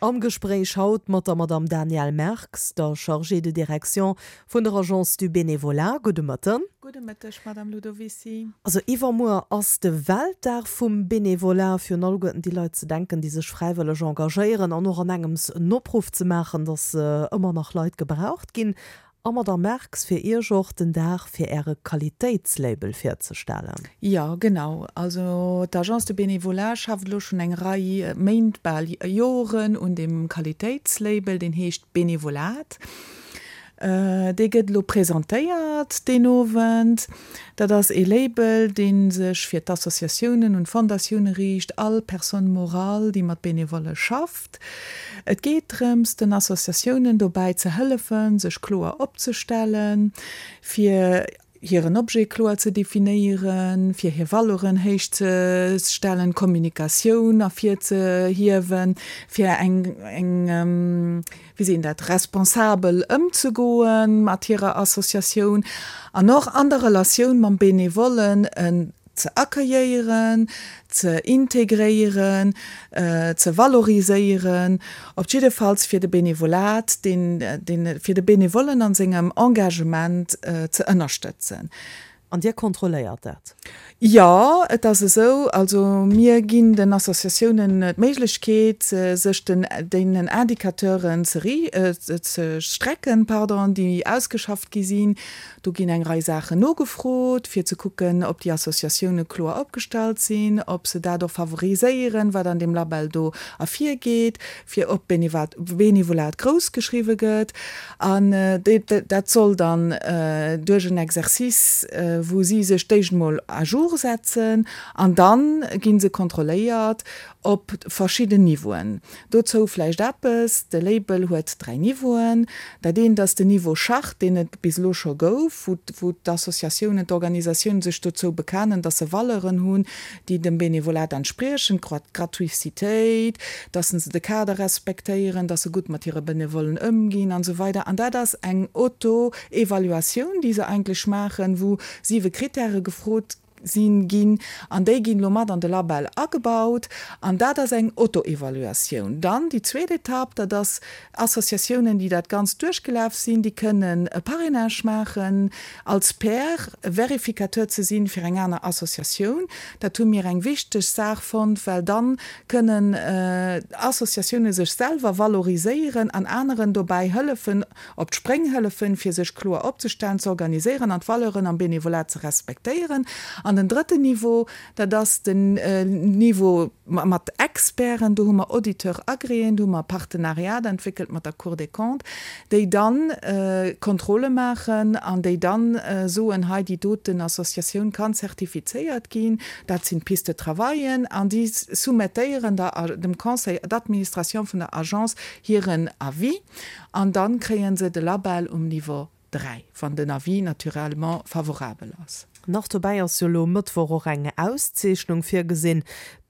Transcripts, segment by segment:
Am Gespréich haut mat der Madame Danièle Merx, der Chargée de direction vun der Agence du Bénévolat. Gudde Mëtten. Gudde Mëtteg, Madame Ludovicy. Also iwwermuer ass de Weltdag vum Bénévolat, fir un alleguerten déi Leit ze denken, déi sech fräiwëlleg engagéieren an och an engems en Opruff ze maachen, dass ëmmer nach Leit gebraucht ginn. A Madame Merx, fir Iech och den Dag fir Äre Qualitéitslabel virzestellen. Jo, genau. Also d'Agence de Bénévolat schafft elo schonn eng Rei Méint, bal Joren un deem Qualitéitslabel, deen heescht Benevolat. Dee gëtt elo presentéiert deen Owend. Dat ass ee Label, dee sech fir d'Associatiounen un d'Fondatioune riicht, all Personne morale, déi mat Benevolle schafft. Et geet drëms, den Associatiounen dobäi ze hëllefen, sech kloer opzestellen, fir hiren Objet kloer ze definéieren, fir hir Valeuren héich ze stellen, d'Kommunikatioun ervirzehiewen, fir eng, eng, wéi seet een dat, responsabel ëmzegoe mat hirer Associatioun an och an der Relatioun mam Benevollen en ze accueilléieren, ze integréieren, ze valoriséieren, op jiddefalls fir de Benevolat, deen, deen, fir de Benevollen an sengem Engagement ze ënnerstëtzen. An Dir kontrolléiert dat? Jo, et ass esou. Also mir ginn den Associatiounen d'Méiglechkeet, sech den, deenen Indicateuren ze ri, ze strecken, pardon, déi ausgeschafft gi sinn. Do ginn eng Rei Saachen nogefrot, fir ze kucken, ob déi Associatioune kloer opgestallt sinn, ob se dat och favoriséieren, wat an deem Label do ervirgeet, fir ob Benevolat grouss geschriwwe gëtt. An dat soll dann duerch en Exercice, wou si sech d'éischt emol à jour setzen, an da gi se kontrolléiert op verschidden Niveauen. Dozou vläicht eppes, De Label huet 3 Niveauen. Dat eent ass den Niveau Charte, deen et bis elo scho gouf, wou d'Associatiounen, d'Organisatiounen sech dozou bekennen, dass se Valeuren hunn, déi dem Benevolat entspriechen, d'Gratuicitéit, dass se de Kader respektéieren, dass se gutt mat hire Benevollen ëmginn an esou weider. An dat ass eng Auto-Evaluatioun, déi se eigentlech maachen, wou siwe Krittäre gefrot sinn ginn, an déi ginn elo mat an de Label agebaut, an dat ass eng Auto-Evaluatioun. Dann déi zweet Etapp, dat ass Associatiounen, déi dat Ganzt duerchgelaf sinn, déi kënnen e Parrainage maachen, als Pair, Verificateur ze sinn fir eng aner Associatioun. Dat hu mir eng wichteg Saach fonnt, well dann kënnen Associatioune sech selwer valoriséieren an aneren dobäi hëllefen, op d'Spréng hëllefen, fir sech kloer opzestellen, ze organiséieren an d'Valeuren am Benevolat ze respektéieren. An den drëtten Niveau, dat ass den Niveau mat Experten. Do hu mer Auditeurs agréés, do hu mer e Partenariat entwéckelt mat der Cour des Comptes, déi dann Kontrolle maachen an déi dann soen, hei déi doten Associatioun kann zertifizéiert ginn, dat sinn d'Pistes de travaillen, an déi soumettéieren der dem Conseil d'administration vun der Agence hiren Avis. An dann kréien se de Label um Niveau 3, wann den Avis naturellement favorabel ass. Nach dobäi ass jo elo Mëttwoch och eng Auszeechnung virgesinn,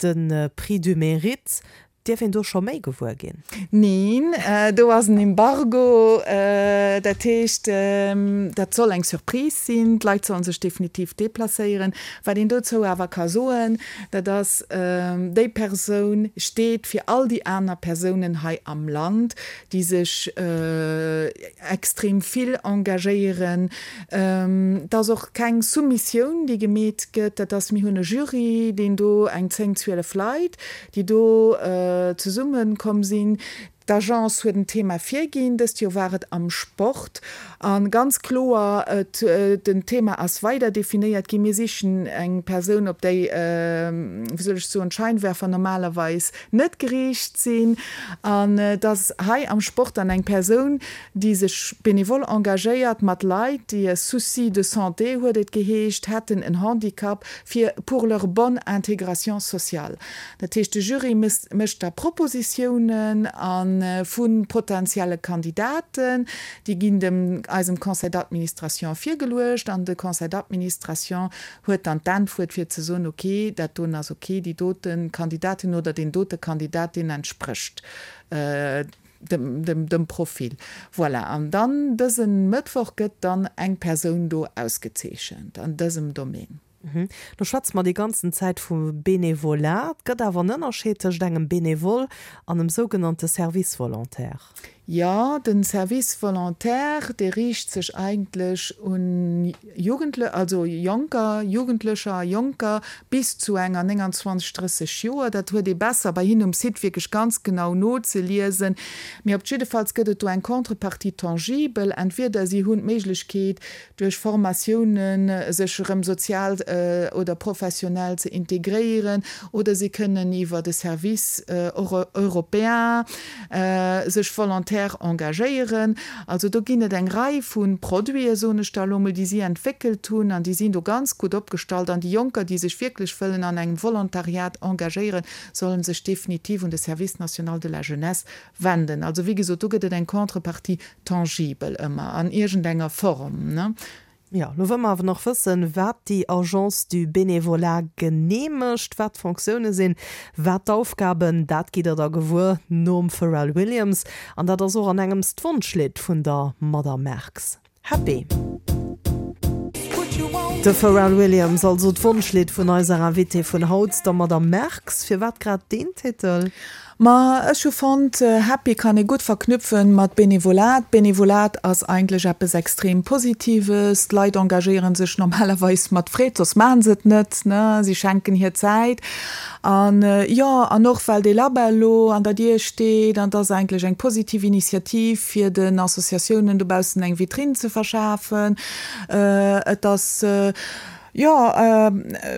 de Prix du Mérite. Dierf een do scho méi gewuer ginn? Neen, do ass en Embargo. Dat heescht, dat soll eng Surprise sinn. D'Leit sollen sech definitiv deplacéieren. Wat een dozou awer ka soen, dat ass, déi Persoun steet fir all déi aner Persounen hei am Land, déi sech extrem vill engagéieren. Et ass och keng Soumissioun, déi gemeet gëtt. Dat ass, mir hunn e Jury, deen do eng 10, 12 Leit, déi do zesummekomm sinn. D'Agence huet en Thema virginn, dëst Joer war et am Sport. A ganz kloer, et, den Thema ass weider definéiert ginn. Mir sichen eng Persoun, op déi, wéi soll ech soen, d'Scheinwerfer normalerweis net geriicht sinn. An et ass hei am Sport dann eng Persoun, déi sech benevol engagéiert mat Leit, déi e Souci de santé, huet et geheescht, hätten, en Handicap, fir pour leur bonne intégration sociale. Dat heescht, de Jury mécht da Propositiounen a vu potentielle Kandidaten. Déi ginn dem eisem Conseil d'administration virgeluecht an de Conseil d'administration huet dann d'Äntwuert fir ze soen, ok, dat doen ass ok, déi dote Kandidatin oder deen dote Kandidat, deen entsprécht dem Profil. Voilà, an dann dëse Mëttwoch gëtt dann eng Persoun do ausgezeechent an dësem Domaine. Lo schwätze mer déi ganzen Zäit vu Benevolat. Et gëtt awer en Ënnerscheed tëscht engem Benevole an em sougenannte Service volontaire. Jo, den Service volontaire, dee riicht sech eigentlech un Jugendle, also Jonker, Jugendlecher a Jonker bis zu enger 29, 30 Joer. Dat huet ee besser bei hinnen um Site wierklech ganz genau nozeliesen. Mee op jiddefalls gëtt et do eng Contrepartie tangible. Entweder si hunn d'Méiglechkeet, duerch Formatiounen sech erëm sozial oder professionell ze integréieren, oder si kënnen iwwer e Service européen sech volontaire engagéieren. Also do ginn et eng Rei vu Produiten, soen ech da elo emol, déi si entwéckelt hunn an déi sinn do ganz gutt opgestallt. An déi Jonker, déi sech wierklech wëllen an engem Volontariat engagéieren, solle sech definitiv un de Service national de la jeunesse wenden. Also wéi gesot, do gëtt et eng Contrepartie tangible ëmmer an iergendenger Form, ne? Jo, lo wëlle mer awer nach wëssen, wat déi Agence du Bénévolat genee mécht, wat d'Fonctioune sinn, wat d'Aufgaben, dat gitt der da gewuer nom Pharrell Williams. An dat ass och an engems d'Wonschlidd vun der Madame Merx. Happy. De Pharrell Williams, also d'Wonschlidd vun eiser Invitée vun haut, der Madame Merx. Firwat grad deen Titel? Ma ech hu fonnt, Happy kann ee gutt verknüpfen mat Benevolat. Benevolat ass eigentlech eppes extrem Positives. D'Leit engagéieren sech normalerweis mat Freed, soss maachen se et net, ne? Si schenken hir Zäit. An jo, an och well dee Label elo an der Dier steet, an et ass eigentlech eng positiv Initiativ, fir den Associatiounen dobaussen eng Vitrine ze verschafen. Et ass, jo,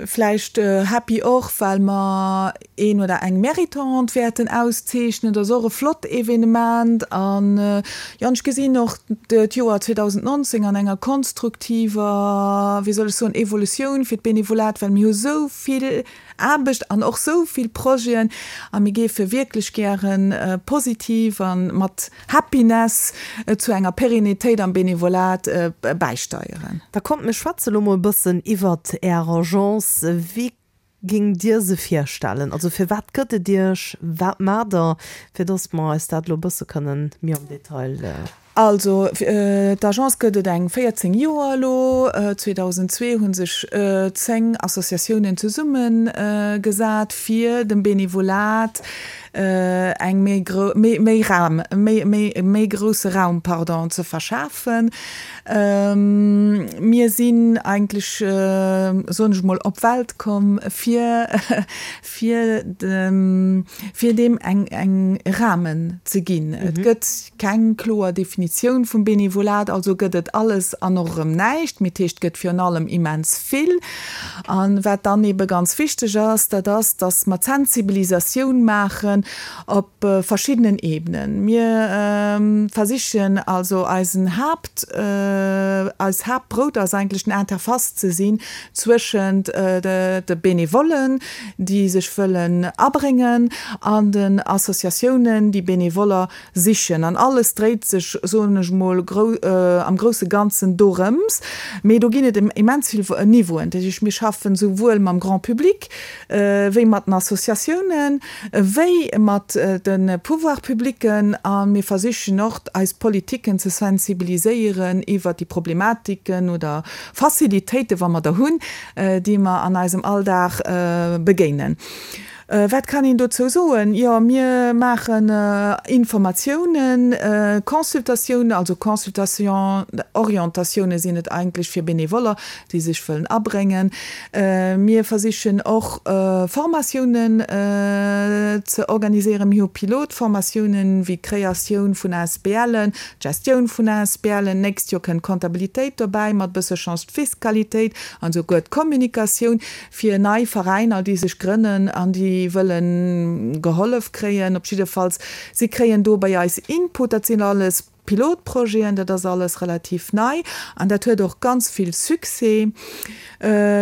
vläicht happy och, well mer een oder eng Méritante wäerten auszeechnen. Dat ass och e flott Evenement. An, jo, an ech gesinn och d'Joer 2019 an enger konstruktiver, wéi soll ech soen, Evolutioun fir d'Benevolat, well mir hu sou vill Aarbecht an och sou vill Projeten a mir géife wierklech gäre positiv a mat Happiness zu enger Pérennitéit am Benevolat bäisteieren. Da kommt mir schwätze lo mol e bëssen iwwert Är Agence. Wéi géingt Dir se virstellen? Also firwat gëtt et Iech? Wat maacht Der? Fir dass mer eis dat elo e bësse kënnen méi am Detail. Also, d'Agence gëtt et eng 14 Joer elo. 2002 hu sech 10 Associatiounen zesumme gesat, fir dem Benevolat eng méi grou, méi, méi Raum, méi, méi, méi grousse Raum, pardon, ze verschafen. Mir sinn eigentlech, soen ech mol, op d'Welt komm, fir fir dem, fir deem eng, eng Rahmen ze ginn. Et gëtt keng kloer Definitioun vum Benevolat, also gëtt et alles an och erëm näischt, mee d'heescht, et gëtt virun allem immens vill. A wat dann ebe ganz wichteg ass, dat ass, dass mer d'Sensibilisatioun maachen op verschiddenen Ebenen. Mir versichen also eisen Haapt, eis Haaptbrout ass eigentlech den Interface ze sinn zwëschent de Benevollen, déi sech wëllen abréngen, an den Associatiounen, déi Benevoller sichen. An alles dréit sech, soen ech mol, am grousse Ganzen dorëms. Mee do ginn et immens vill Niveauen. Dat heescht, mir schaffen souwuel mam Grand public wéi mat den Associatiounen, wéi mat de Pouvoirs publicken. A mir versichen och, eis Politiken ze sensibiliséieren iwwert déi Problematiken oder Facilitéiten, wa mer der hunn, déi mer an eisem Alldag begéinen. Wat kann een dozou soen? Jo, mir maachen Informatiounen, Consultatiounen, also Consultation, Orientatiounen sinn et eigentlech fir Benevoller, déi sech wëllen abréngen. Mir versichen och Formatiounen ze organiséieren. Mir hu Pilotformatiounen wéi d'Kreatioun vun ASBLen, D'Gestioun vun ASBLen, nächst Joer kënnt d'Comptabilitéit dobäi, mat bësse Chance d'Fiskalitéit an esouguer d'Kommunikatioun fir nei Veräiner, déi sech grënnen an déi wëlle gehollef kréien. Op jiddefalls, si kréien do bei eis Input. Dat sinn alles Pilotprojeten, dat ass alles relativ nei an dat huet och ganz vill Succès.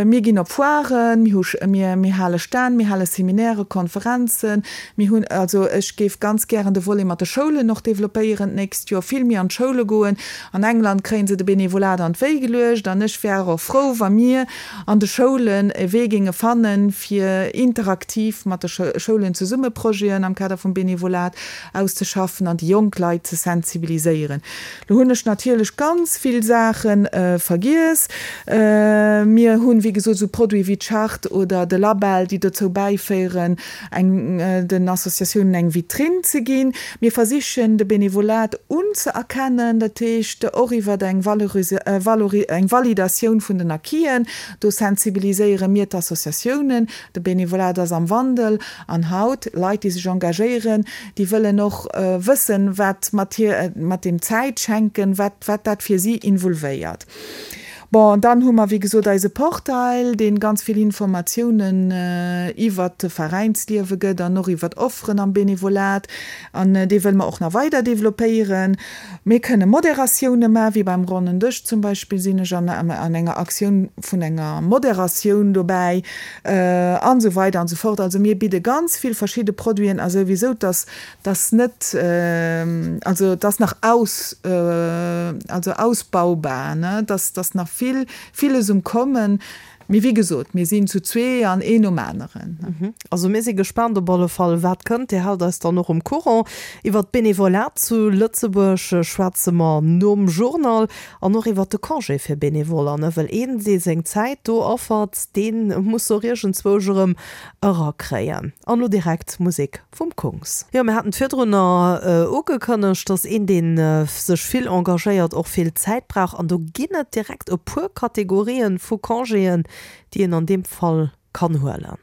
Mir ginn op Foiren, mir hu, mir, mir hale Stänn, mir hale Seminären, Konferenzen. Mir hunn, also ech géif ganz gären de Volet mat de Schoulen och developpéieren d'nächst Joer, vill méi an d'Schoule goen. An England kréie se de Benevolat an d'Wéi geluecht an ech wär och frou, wa mir an de Schoulen e Wee géinge fannen, fir interaktiv mat de Schoulen zesumme Projeten am Kader vum Benevolat auszeschaffen an déi jonk Leit ze sensibiliséieren. engagéieren. Lo hunn ech natierlech ganz vill Saache vergiess. Mir hunn, wéi gesot, esou Produite wéi d'Charte oder de Label, déi dozou bäiféieren, eng den Associatiounen eng Vitrinn ze ginn. Mir versichen, de Benevolat unzëerkennen, dat heescht och iwwer eng eng Validatioun vun den Acquisen. Do sensibiliséiere mir d'Associatiounen. De Benevolat ass am Wandel an haut, Leit, déi sech engagéieren, déi wëllen och wëssen, wat mat hir, mat deem Zäitschenken, wat, wat dat fir si involvéiert. Bon, an dann hu mer, wéi gesot, eise Portail, dee ganz vill Informatiounen iwwert de Veräinsliewe gëtt an och iwwert Offeren am Benevolat. An dee wëlle mer och nach weider developpéieren. Mir kënne Moderatioune maachen, wéi beim Ronnen Dësch zum Beispill sinn ech an enger Aktioun vun enger Moderatioun dobäi, an esou weider an esou fort. Also mir bidde ganz vill verschidde Produiten a souwisou, dass dass net, also et ass nach aus, also ausbaubar, ne, dass dass nach vill, villes um Kommen. Mee wéi gesot, mir sinn zu zwee an een nom aneren. Also mir si gespaant op alle Fall, wat kënnt. Dir haalt eis dann och um Courant. Iwwer d'Benevolat zu Lëtzebuerg schwätze mer nom Journal an och iwwer de Congé fir Benevoller, ne, well een, dee seng Zäit do affert, dee muss se och iergendzwousch erëm erakréien. An elo direkt Musek Vum Kungs. Jo, mir haten et virdrunner ugekënnegt, dass een, dee sech vill engagéiert, och vill Zäit brauch. An do ginn et direkt e puer Kategorien vu Congéen, déi een an deem Fall kann huelen.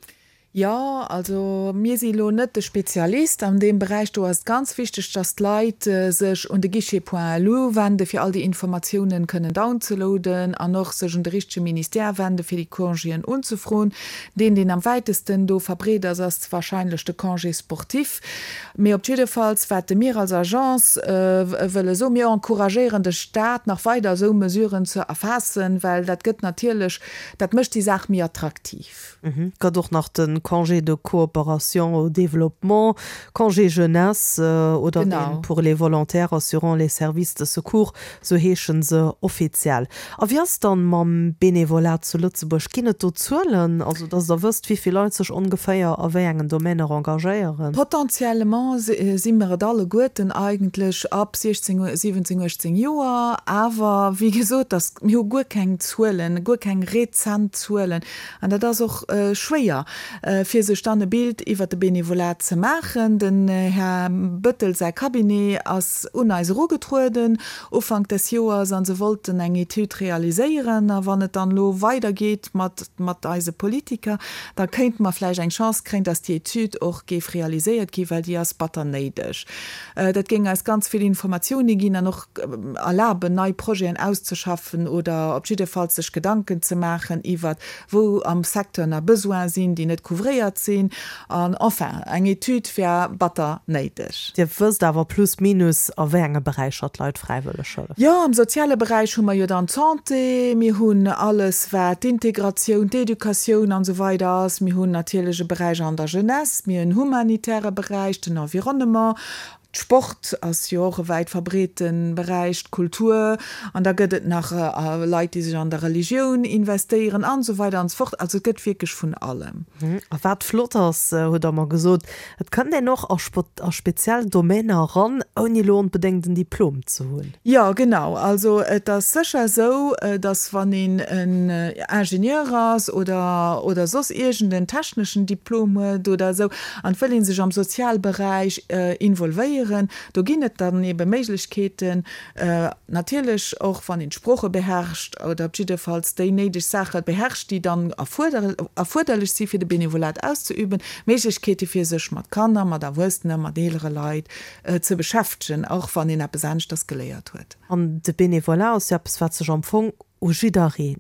Jo, also mir si lo net de Spezialist an deem Beräich. Do ass et ganz wichteg, dass d'Leit sech un de Guichet point lu wenden, fir all déi Informatiounen kënnen downzeloaden an och sech un de richtege Ministère wenden, fir déi Congéen unzefroen. Deen, deen am wäitesten do verbreet ass, ass wahrscheinlech de Congé sportif. Mee op jiddefalls, wat de mir als Agence wëlle soen, Mir encouragéieren de Stat, nach weider esou Mesuren ze erfaassen, well dat gëtt natierlech, dat mécht déi Saach méi attraktiv. Et gëtt och nach de Congé de coopération au développement, Congé jeunesse oder deen pour les volontaires assurant les services de secours, Sou heeschen se offiziell. A wéi ass dann mam Benevolat zu Lëtzebuerg? Ginn et do Zuelen, also dass der wësst, wéi vill Leit sech ongeféier a wéi engen Domainer engagéieren? Potentiellement si mer et alleguerten eigentlech ab 16, 17, 18 Joer. Awer wéi gesot, dass, mir hu guer keng Zuelen, guer keng rezent Zuelen. An dat ass och schwéier, fir sech dann e Bild iwwert de Benevolat ze maachen. Den Här Bettel säi Cabinet ass un eis erugetrueden Ufank des Joers a se wollten eng Etüd realiséieren. A wann et dann elo weidergeet mat mat eise Politiker, da kéinte mer vläicht eng Chance kréien, dass déi Etüd och géif realiséiert ginn, well déi ass batter néideg. Dat géing eis ganz vill Informatioune ginn an och erlaben, nei Projeten auszeschaffen oder op jiddefalls sech Gedanken ze maachen iwwert, wou am Secteur nach Besoine sinn, déi net couvréiert sinn. An enfin, eng Etüd wär batter néideg. Dir wësst awer plus minus, a wéi enge Beräicher d'Leit fräiwëlleg hëllefen? Jo, am soziale Beräich hu mer jo dann d'Santé, mir hunn alles, wat d'Integratioun, d'Educatioun an esou weider ass. Mir hunn natierlech e Beräich an der Jeunesse, mir hunn en humanitäre Beräich, den Environnement, Sport ass jo och e wäit verbreete Beräich, d'Kultur, an da gëtt et nach Leit, déi sech an der Religioun investéieren an esou weider an esou fort. Also et gëtt wierklech vun allem. A wat flott ass, hutt Der mer gesot, et kënnt een och a speziell Domainer eran, ouni elo onbedéngt en Diplom ze hunn. Jo, genau. Also et ass sécher esou, datt wann een en Ingenieur ass oder oder soss iergend en techneschen Diplom huet oder esou an et wëll ee sech am Sozialberäich involvéieren, do ginn et dann ebe Méiglechkeeten, natierlech och wann een d'Sprooche beherrscht oder op jiddefalls déi néideg Saache beherrscht, déi dann erfuerderlech si fir de Benevolat auszeüben, Méiglechkeete fir sech mat Kanner, mat Erwuessenen, mat eelere Leit ze beschäftegen, och wann een eppes aneschters geléiert huet. An de Benevolat ass jo eppes, wat sech am Fong u jidderee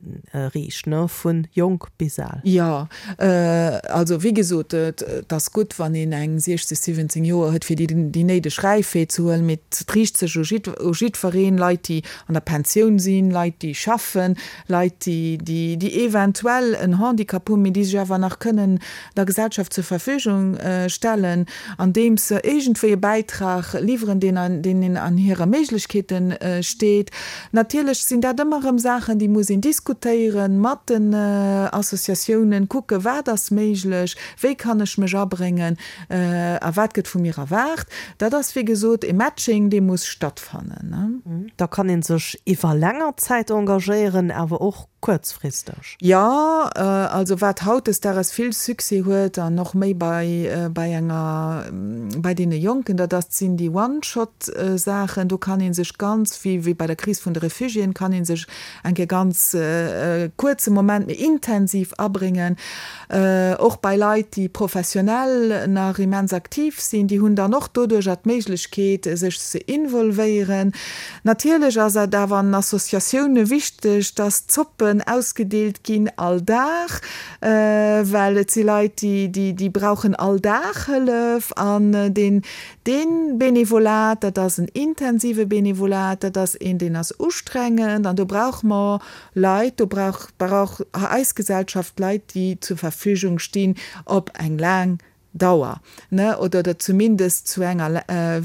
riicht, ne, vu jonk bis al. Jo, also wéi gesot, et ass gutt, wann een eng 60, 17 Joer huet, fir déi néideg Räifheet ze huelen, mee et riicht sech u jiddwereen, Leit, déi an der Pensioun sinn, Leit, déi schaffen, Leit, déi eventuell en Handicap hunn, mee déi sech awer nach kënnen der Gesellschaft zur Verfügung stellen, andeems se iergendwéi e Bäitrag liwweren, deen an hirer Méiglechkeete steet. Natierlech sinn dat ëmmer erëm Saachen. Saachen, déi muss een diskutéieren mat den Associatiounen, kucke wat ass méiglech, wéi kann ech mech abréngen a wat gëtt vu mir erwaart. Dat ass wéi gesot e Matching, dee muss stattfannen. Da kann ee sech iwwer länger Zäit engagéieren, awer och kuerzfristeg. Jo, also wat hautdesdaags vill Succès huet an och méi bei bei enger bei deene Jonken, dat ass sinn déi One-Shot-Saachen. Do kann ee sech ganz, wéi wéi bei der Kris vun de Refugiéen, kann ee sech eng Kéier ganz kuerze Moment, mee intensiv abréngen. Och bei Leit, déi professionell nach immens aktiv sinn, déi hunn dann och doduercher d'Méiglechkeet, sech ze involvéieren. Natierlech ass et awer an Associatioune wichteg, dass Zoppen ausgedeelt ginn all Dag, well et si Leit, déi brauchen all Dag Hëllef. An deen Benevolat, dat ass en intensive Benevolat, dat ass een, deen ass ustrengend an do brauche mer Leit, do brauch eis Gesellschaft Leit, déi zur Verfügung stinn op eng laang Dauer, ne, oder oder zumindest zu enger,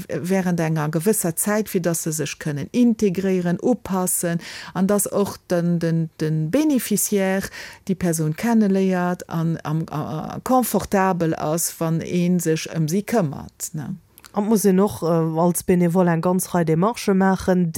während enger gewësser Zäit, fir dass se sech kënnen integréieren, upassen an dass och den, den, de Bénéficiaire déi Persoun kenneléiert an am, confortabel ass, wann ee sech ëm si këmmert, ne. An et muss een och als Bénévole eng ganz Rei Démarchë maachen,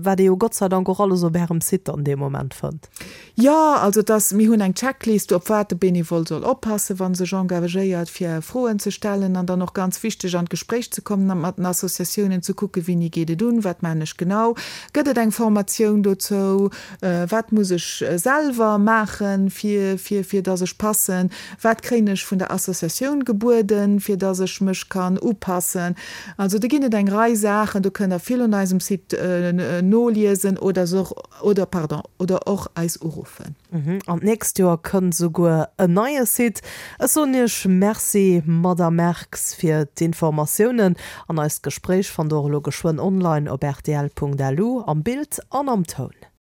wat ee jo Gott sei Dank och alles op Ärem Site an deem Moment fënnt. Jo, also et ass, mir hunn eng Checklist, op wat de Bénévole soll oppassen, wa sech engagéiert, fir Froen ze stellen an dann och ganz wichteg an d'Gespréich ze kommen mat den Associatiounen, ze kucken, wéini geet et un, wat maachen ech genau, gëtt et eng Formatioun dozou, wat muss ech selwer maachen, fir, fir, fir dass ech passen. Wat kréien ech vun der Associatioun gebueden, fir dass ech mech kann upassen? Also do ginn et eng Rei Saachen, do kënnt der vill un eisem Site noliesen oder och, oder pardon, oder och eis uruffen. An d'nächst Joer kënnt esouguer en neie Site. Ech soen Iech Merci, Madamm Merx, fir d'Informatiounen. An eist Gespréich fannt der och elo geschwënn online op rtl.lu, am Bild an am Toun.